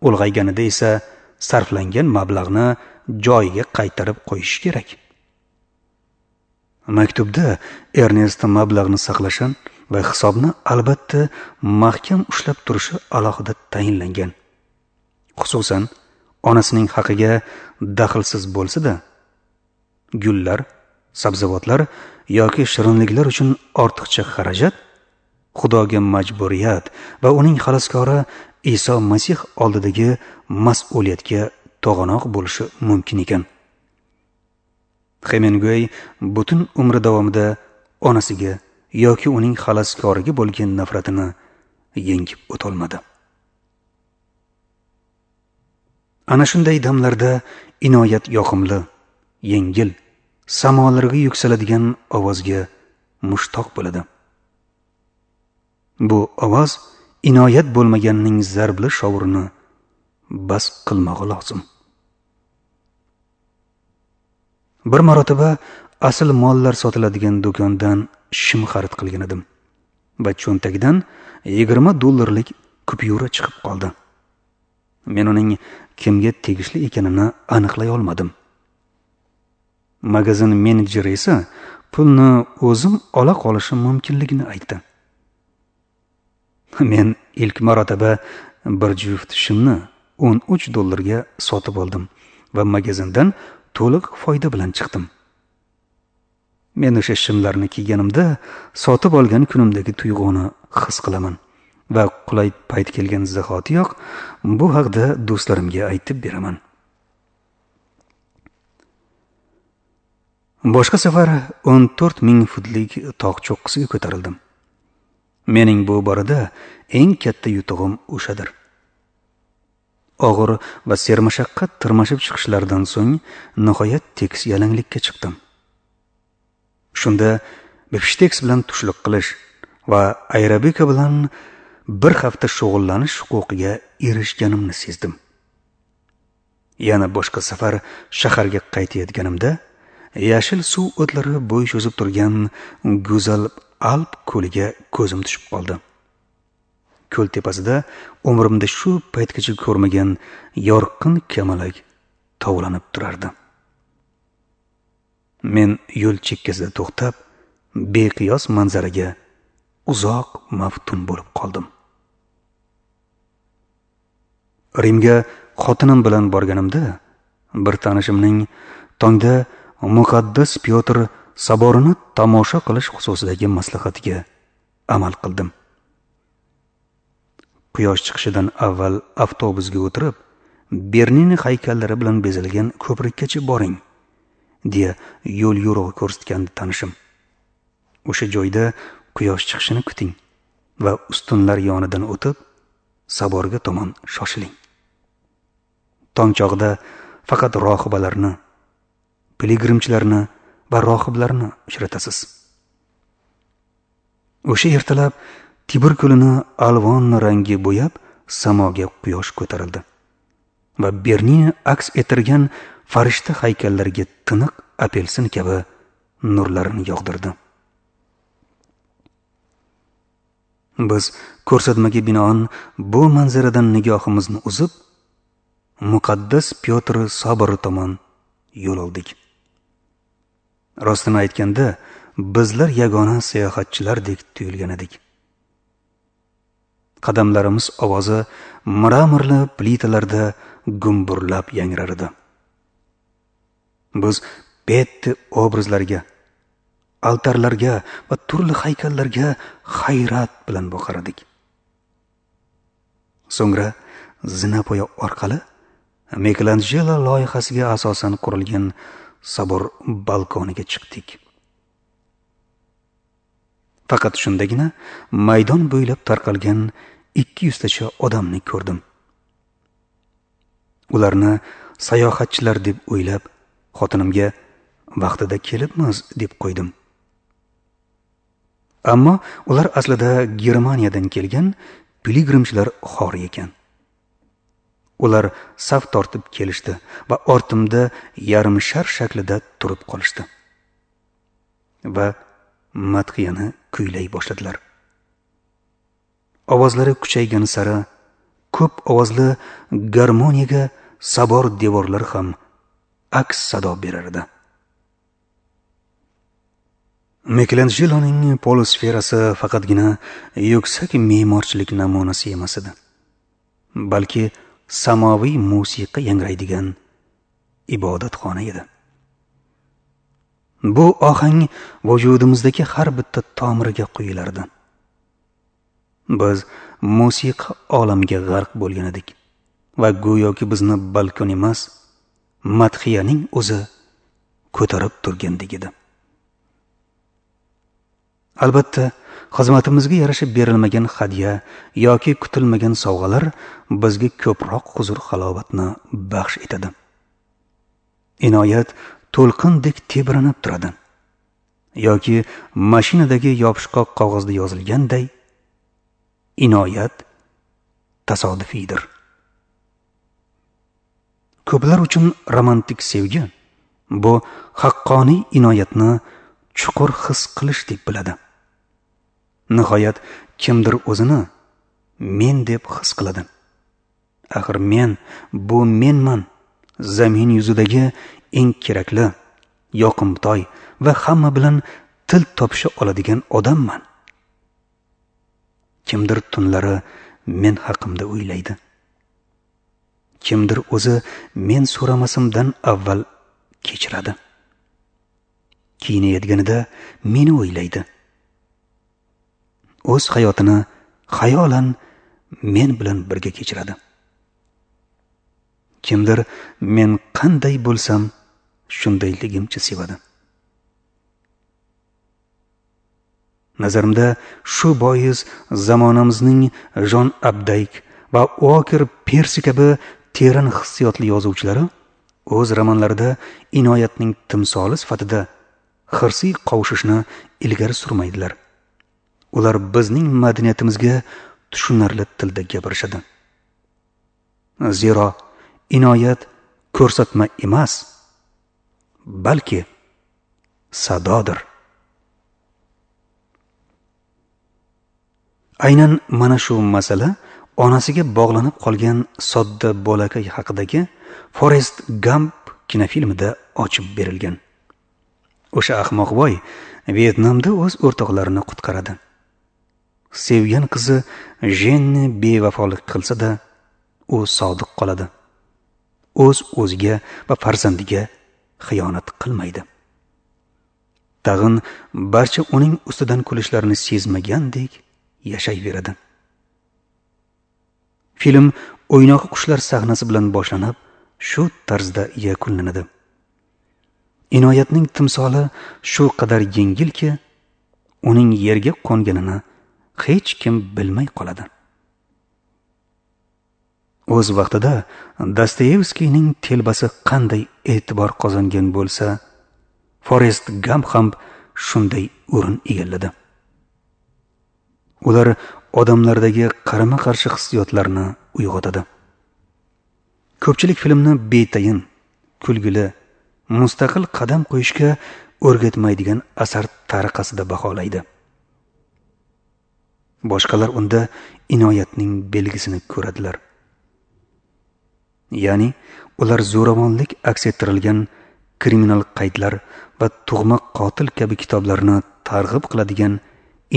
Ulg'ayganida esa sarflangan mablag'ni joyiga qaytarib qo'yish kerak. Maktubda Ernest mablag'ni saqlashi va hisobni albatta mahkam ushlab turishi alohida tayinlangan. Xususan, onasining haqiga daxlsiz bo'lsa-da, gullar, sabzavotlar yoki shirinliklar uchun ortiqcha xarajat Xudoga majburiyat va uning xaloskori Iso Masih oldidagi mas'uliyatga to'g'anoq bo'lishi mumkin ekan. Hemingway butun umri davomida onasiga yoki uning xaloskoriga bo'lgan nafratini yengib o'tolmadi. Ana shunday damlarda inoyat yoqimli, yengil, samolarga yuksaladigan ovozga mushtoq bo'ladi. Bu ovoz inoyat bo'lmaganning zarbli shovurini bas qilmog'i lozim. Bir marotaba asl mollar sotiladigan do'kondan shim xarid qilgan edim va cho'ntagidan yigirma dollarlik kupyura chiqib qoldi. Men uning kimga tegishli ekanini aniqlay olmadim. Magazin menejeri esa pulni o'zim ola qolishim mumkinligini aytdi. Men ilk marotaba bir juft shimni o'n uch dollarga sotib oldim va magazindan to'liq foyda bilan chiqdim. Men o'sha shimlarni kiyganimda sotib olgan kunimdagi tuyg'uni his qilaman va qulay payt kelgan zahotiyoq bu haqda do'stlarimga aytib beraman. Boshqa safar o'n to'rt ming futlik tog' cho'qqisiga ko'tarildim. Mening bu borada eng katta yutug'im o'shadir. Og'ir va sermashaqqat tirmashib chiqishlardan so'ng nihoyat tekis yalanglikka chiqdim. Shunda bifshteks bilan tushlik qilish va aerobika bilan bir hafta shug'ullanish huquqiga erishganimni sezdim. Yana boshqa safar shaharga qaytayotganimda yashil suv o'tlari bo'y cho'zib turgan go'zal Alp ko'liga ko'zim tushib qoldi. Ko'l tepasida umrimda shu paytgacha ko'rmagan yorqin kamalak tovlanib turardi. Men yo'l chekkasida to'xtab, beqiyos manzaraga uzoq maftun bo'lib qoldim. Rimga xotinim bilan borganimda bir tanishimning tongda muqaddas Pyotr soborini tomosha qilish xususidagi maslahatiga amal qildim. Quyosh chiqishidan avval avtobusga o'tirib, Bernini haykallari bilan bezalgan ko'prikkacha boring, deya yo'l yo'rig'i ko'rsatgandi tanishim. O'sha joyda quyosh chiqishini kuting va ustunlar yonidan o'tib, soborga tomon shoshiling. Tong chog'ida faqat rohibalarni, piligrimchilarni va rohiblarni uchratasiz. O'sha ertalab Tibr ko'lini alvon rangi bo'yab, samoga quyosh ko'tarildi va Bernini aks ettirgan farishta haykallariga tiniq apelsin kabi nurlarini yog'dirdi. Biz ko'rsatmaga binoan bu manzaradan nigohimizni uzib, muqaddas Pyotr sobori tomon yo'l oldik. Rostini aytganda, bizlar yagona sayohatchilardek tuyulgan edik. Qadamlarimiz ovozi mramorli plitalarda gumburlab yangrar edi. Biz Petti obrazlariga, altarlarga va turli haykallarga hayrat bilan boqar edik. So'ngra zinapoya orqali Michelangelo loyihasiga asosan qurilgan sobor balkoniga chiqdik. Faqat shundagina maydon bo'ylab tarqalgan ikki yuztacha odamni ko'rdim. Ularni sayohatchilar deb o'ylab, Xotinimga vaqtida kelibmiz deb qo'ydim. Ammo ular aslida Germaniyadan kelgan piligrimchilar xori ekan. Ular saf tortib kelishdi va ortimda yarim shar shaklida turib qolishdi va madhiyani kuylay boshladilar. Ovozlari kuchaygan sari ko'p ovozli garmoniyaga sabor devorlar ham aks sado berar edi. Mikelanjeloning polisferasi faqatgina yuksak me'morchilik namunasi emas edi, balki samoviy musiqa yangraydigan ibodatxona edi. Bu ohang vujudimizdagi har bitta tomiriga quyilardi. Biz musiqa olamiga g'arq bo'lgan edik va go'yoki bizni balkon emas, madhiyaning o'zi ko'tarib turgandek edi. Albatta, xizmatimizga yarasha berilmagan hadya yoki kutilmagan sovg'alar bizga ko'proq huzur-halovatni baxsh etadi. Inoyat to'lqindek tebranib turadi yoki mashinadagi yopishqoq qog'ozda yozilganday, inoyat tasodifiydir. Ko'plar uchun romantik sevgi bu haqqoniy inoyatni chuqur his qilish deb biladi. Nihoyat kimdir o'zini men deb his qiladi. Axir men bu menman, zamin yuzidagi eng kerakli, yoqimtoy va hamma bilan til topisha oladigan odamman. Kimdir tunlari men haqimda o'ylaydi. Kimdir o'zi men so'ramasimdan avval kechiradi. Kiyinayotganida meni o'ylaydi. O'z hayotini xayolan men bilan birga kechiradi. Kimdir men qanday bo'lsam shundayligimcha sevadi. Nazarimda shu bois zamonamizning Jon Abdayk va Uoker Persi kabi teran hissiyotli yozuvchilari o'z romanlarida inoyatning timsoli sifatida hirsiy qovushishni ilgari surmaydilar. Ular bizning madaniyatimizga tushunarli tilda gapirishadi. Zero inoyat ko'rsatma emas, balki sadodir. Aynan mana shu masala onasiga bog'lanib qolgan sodda bolakay haqidagi Forrest Gump kinofilmida ochib berilgan. O'sha ahmoqboy Vyetnamda o'z o'rtoqlarini qutqaradi. Sevgan qizi Jenni bevafolik qilsa-da, u sodiq qoladi. O'z o'ziga va farzandiga xiyonat qilmaydi. Tag'in barcha uning ustidan kulishlarini sezmagandek yashayveradi. Film o'ynoqi qushlar sahnasi bilan boshlanib, shu tarzda yakunlanadi. Inoyatning timsoli shu qadar yengilki, uning yerga qo'nganini hech kim bilmay qoladi. O'z vaqtida Dostoyevskiyning telbasi qanday e'tibor qozongan bo'lsa, Forrest Gump ham shunday o'rin egalladi. Ular odamlardagi qarama-qarshi hissiyotlarni uyg'otadi. Ko'pchilik filmni betayin, kulgili, mustaqil qadam qo'yishga o'rgatmaydigan asar tariqasida baholaydi. Boshqalar unda inoyatning belgisini ko'radilar. Ya'ni ular zo'ravonlik aks ettirilgan kriminal qaydlar va tug'ma qotil kabi kitoblarni targ'ib qiladigan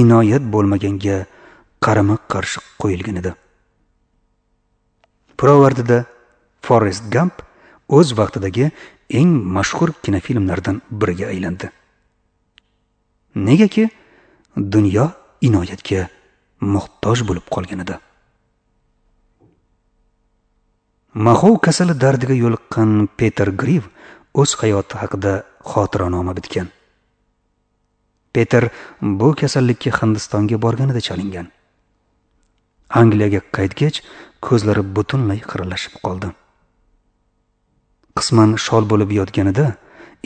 inoyat bo'lmaganga qarama-qarshi qo'yilgan edi. Pirovardida Forrest Gump o'z vaqtidagi eng mashhur kinofilmlardan biriga aylandi. Negaki dunyo inoyatga muhtoj bo'lib qolgan edi. Mahov kasali dardiga yo'liqqan Peter Griv o'z hayoti haqida xotiranoma bitgan. Peter bu kasallikka Hindistonga borganida chalingan. Angliyaga qaytgach, ko'zlari butunlay xiralashib qoldi. Qisman shol bo'lib yotganida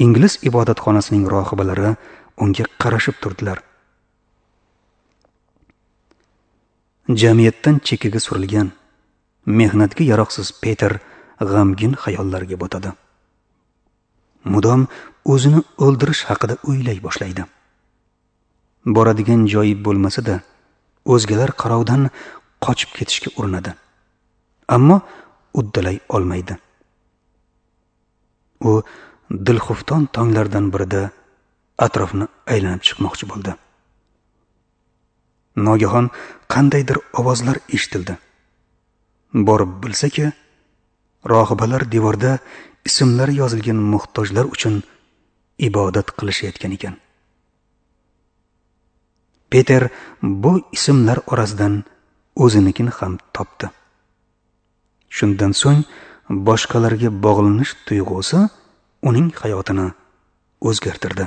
ingliz ibodatxonasining rohibalari unga qarashib turdilar. Jamiyatdan chekkaga surilgan, mehnatga yaroqsiz Peter g'amgin xayollarga botadi. Mudom o'zini o'ldirish haqida o'ylay boshlaydi. Boradigan joyi bo'lmasa-da, o'zgalar qarovdan qochib ketishga urinadi. Ammo uddalay olmaydi. U dilxufton tonglardan birida atrofni aylanib chiqmoqchi bo'ldi. Nogahon qandaydir ovozlar eshitildi. Borib bilsaki, rohibalar devorda ismlari yozilgan muhtojlar uchun ibodat qilishayotgan ekan. Peter bu ismlar orasidan o'zinikini ham topdi. Shundan so'ng boshqalarga bog'lanish tuyg'usi uning hayotini o'zgartirdi.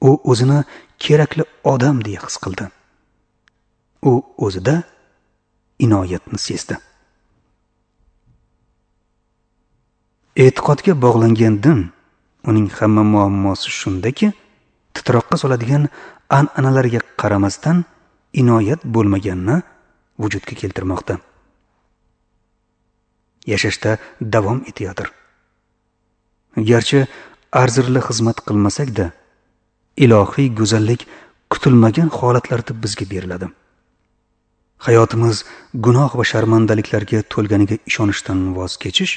U o'zini kerakli odam deya his qildi. U o'zida inoyatni sezdi. E'tiqodga bog'langan din uning hamma muammosi shundaki, titroqqa soladigan an'analarga qaramasdan inoyat bo'lmaganini vujudga keltirmoqda. Yashashda davom etayotir. Garchi arzirli xizmat qilmasak-da, ilohiy go'zallik kutilmagan holatlarda bizga beriladi. Hayotimiz gunoh va sharmandaliklarga to'lganiga ishonishdan voz kechish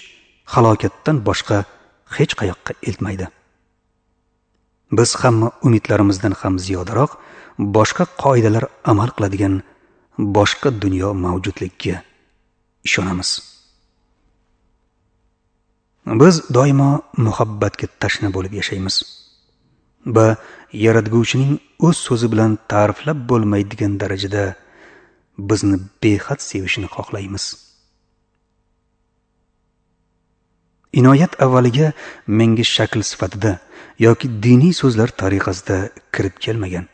halokatdan boshqa hech qayoqqa eltmaydi. Biz hamma umidlarimizdan ham ziyodaroq boshqa qoidalar amal qiladigan boshqa dunyo mavjudligiga ishonamiz. Biz doimo muhabbatga tashna bo'lib yashaymiz va Yaratguvchining o'z so'zi bilan ta'riflab bo'lmaydigan darajada bizni behad sevishini xohlaymiz. Inoyat avvaliga menga shakl sifatida yoki diniy so'zlar tariqasida kirib kelmagan.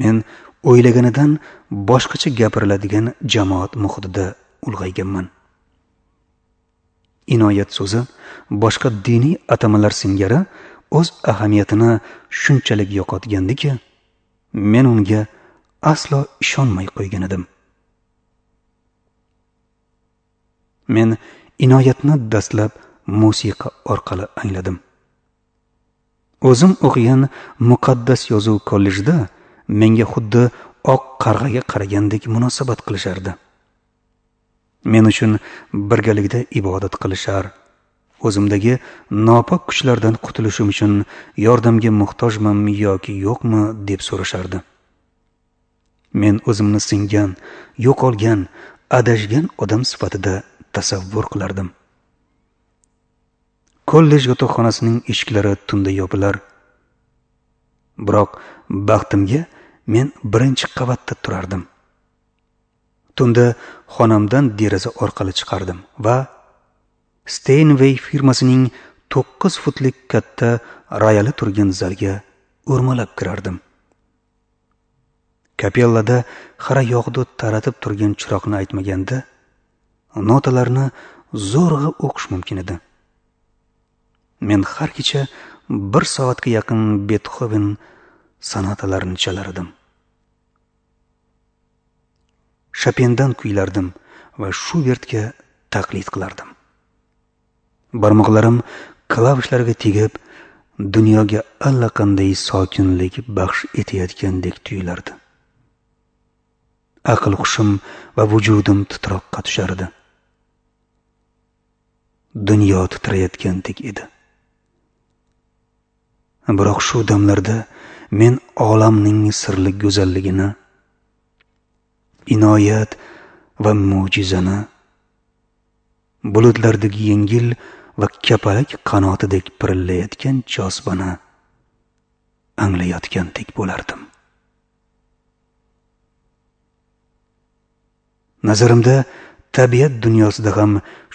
Men o'ylaganidan boshqacha gapiriladigan jamoat muhitida ulg'ayganman. Inoyat so'zi boshqa diniy atamalar singari o'z ahamiyatini shunchalik yo'qotgandiki, men unga aslo ishonmay qo'ygan edim. Men inoyatni dastlab musiqa orqali angladim. O'zim o'qigan muqaddas yozuv kollejida menga xuddi oq qarg'aga qaragandek munosabat qilishardi. Men uchun birgalikda ibodat qilishar, o'zimdagi nopok kuchlardan qutulishim uchun yordamga muhtojmanmi yoki yo'qmi deb so'rashardi. Men o'zimni singan, yo'qolgan, adashgan odam sifatida tasavvur qilardim. Kollej yotoqxonasining eshiklari tunda yopilar. Biroq baxtimga men birinchi qavatda turardim. Tunda xonamdan deraza orqali chiqardim va Steinway firmasining to'qqiz futlik katta royali turgan zalga o'rmalab kirardim. Kapellada xira yog'du taratib turgan chiroqni aytmaganda, notalarni zo'rg'a o'qish mumkin edi. Men har kecha bir soatga yaqin Betxoven sonatalarini chalar edim. Chopindan kuylardim va Shubertga taqlid qilardim. Barmoqlarim klavishlarga tegib, dunyoga allaqanday sokinlik baxsh etayotgandek tuyulardi. Aql hushim va vujudim titroqqa tushardi. Dunyo titrayotgandek edi. Biroq shu damlarda men olamning sirli go'zalligini, inoyat va mo'jizani, bulutlardagi yengil va kapalak qanotidek pirillayotgan jozibani anglayotgandek bo'lardim. Nazarimda tabiat dunyosida ham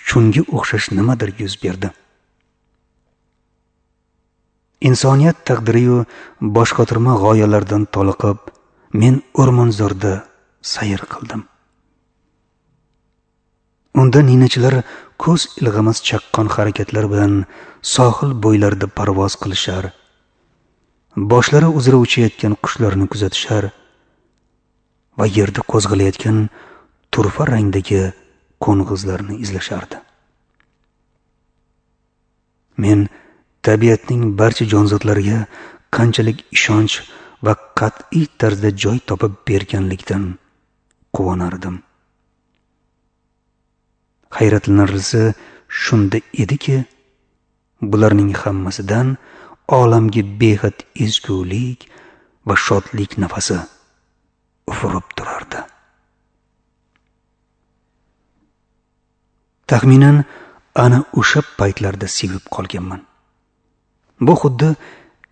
shunga o'xshash nimadir yuz berdi. Insoniyat taqdiriyu boshqotirma g'oyalardan toliqib, men o'rmonzorda sayr qildim. Unda ninachilar ko'z ilg'amas chaqqon harakatlar bilan sohil bo'ylarida parvoz qilishar, boshlari uzra uchayotgan qushlarni kuzatishar va yerda qo'zg'alayotgan turfa rangdagi qo'ng'izlarni izlashardi. Men tabiatning barcha jonzotlariga qanchalik ishonch va qat'iy tarzda joy topib berganlikdan quvonardim. Hayratlanarlisi shunda ediki, bularning hammasidan olamga behad ezgulik va shodlik nafasi ufurib turardi. Taxminan ana o'sha paytlarda sevib qolganman. Bu xuddi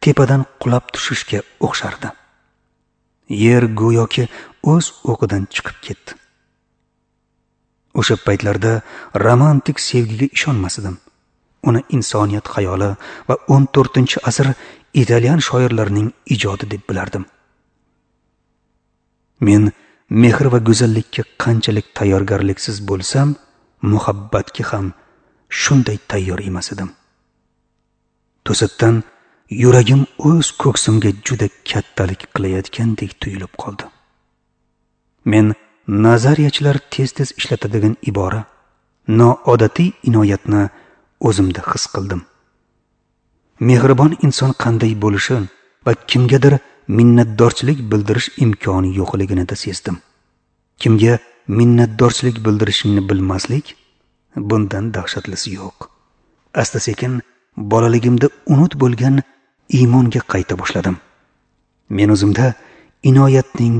tepadan qulab tushishga o'xshardi. Yer go'yoki o'z o'qidan chiqib ketdi. O'sha paytlarda romantik sevgiga ishonmas edim. Uni insoniyat xayoli va o'n to'rtinchi asr italyan shoirlarining ijodi deb bilardim. Men mehr va go'zallikka qanchalik tayyorgarliksiz bo'lsam, muhabbatga ham shunday tayyor emas edim. To'satdan yuragim o'z ko'ksimga juda kattalik qilayotgandek tuyulib qoldi. Men nazariyachilar tez-tez ishlatadigan ibora noodatiy inoyatni o'zimda his qildim. Mehribon inson qanday bo'lishi va kimgadir minnatdorchilik bildirish imkoni yo'qligini da sezdim. Kimga minnatdorchilik bildirishingni bilmaslik, bundan dahshatlisi yo'q. Asta-sekin bolaligimda unut bo'lgan iymonga qayta boshladim. Men o'zimda inoyatning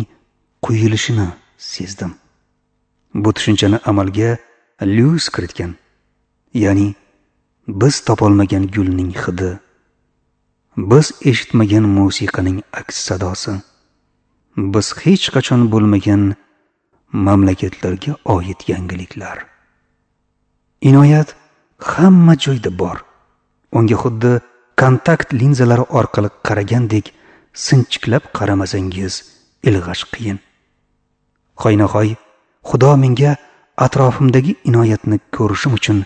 quyilishini sezdim. Bu tushunchani amalga Lyuis kiritgan. Ya'ni biz topolmagan gulning hidi, biz eshitmagan musiqaning aks sadosi, biz hech qachon bo'lmagan mamlakatlarga oid yangiliklar. Inoyat hamma joyda bor. Unga xuddi kontakt linzalari orqali qaragandek sinchiklab qaramasangiz ilg'ash qiyin. Hoynahoy Xudo menga atrofimdagi inoyatni ko'rishim uchun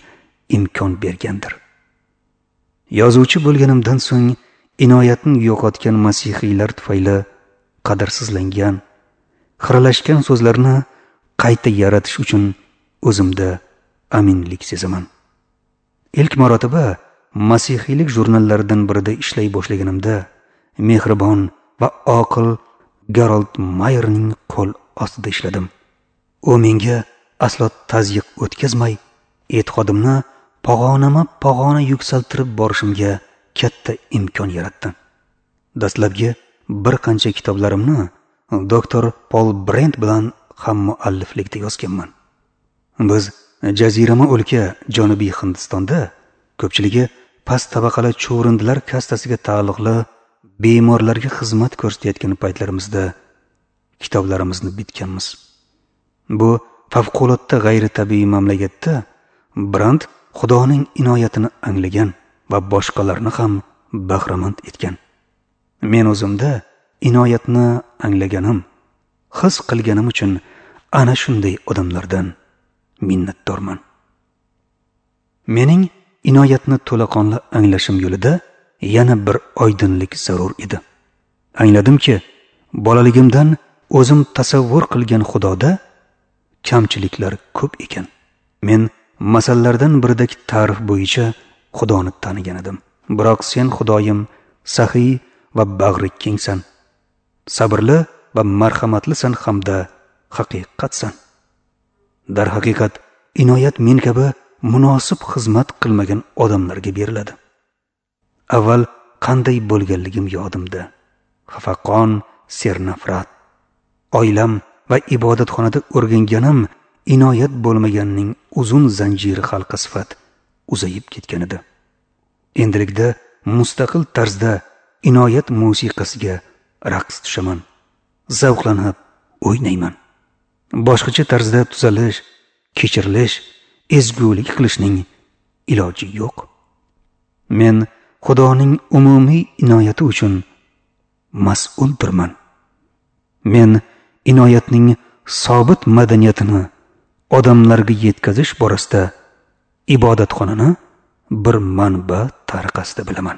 imkon bergandir. Yozuvchi bo'lganimdan so'ng inoyatni yo'qotgan masihiylar tufayli qadrsizlangan, xiralashgan so'zlarni qayta yaratish uchun o'zimda aminlik sezaman. Ilk marotaba masihiylik jurnallaridan birida ishlay boshlaganimda mehribon va oqil Garold Mayerning qo'l ostida ishladim. U menga aslo tazyiq o'tkazmay, e'tiqodimni pog'onama-pog'ona yuksaltirib borishimga katta imkon yaratdi. Dastlabki bir qancha kitoblarimni doktor Pol Brent bilan ham mualliflikda yozganman. Biz jazirama o'lka Janubiy Hindistonda ko'pchiligi past tabaqali chuvrindilar kastasiga taalluqli bemorlarga xizmat ko'rsatayotgan paytlarimizda kitoblarimizni bitganmiz. Bu favqulodda g'ayritabiiy mamlakatda Brand Xudoning inoyatini anglagan va boshqalarni ham bahramand etgan. Men o'zimda inoyatni anglaganim, his qilganim uchun ana shunday odamlardan minnatdorman. Mening inoyatni to'laqonli anglashim yo'lida yana bir oydinlik zarur edi. Angladimki, bolaligimdan o'zim tasavvur qilgan Xudoda kamchiliklar ko'p ekan. Men masallardan biridagi ta'rif bo'yicha Xudoni tanigan edim. Biroq sen Xudoyim saxiy va bag'ri kengsan, sabrli va marhamatlisan hamda haqiqatsan. Darhaqiqat inoyat men kabi munosib xizmat qilmagan odamlarga beriladi. Avval qanday bo'lganligim yodimda. Xafaqon, sernafrat. Oilam va ibodatxonada o'rganganim inoyat bo'lmaganning uzun zanjiri halqa sifat uzayib ketgan edi. Endilikda mustaqil tarzda inoyat musiqasiga raqs tushaman, zavqlanib o'ynayman. Boshqacha tarzda tuzalish, kechirilish, ezgulik qilishning iloji yo'q. Men Xudoning umumiy inoyati uchun mas'uldirman. Men inoyatning sobit madaniyatini odamlarga yetkazish borasida ibodatxonani bir manba tariqasida bilaman.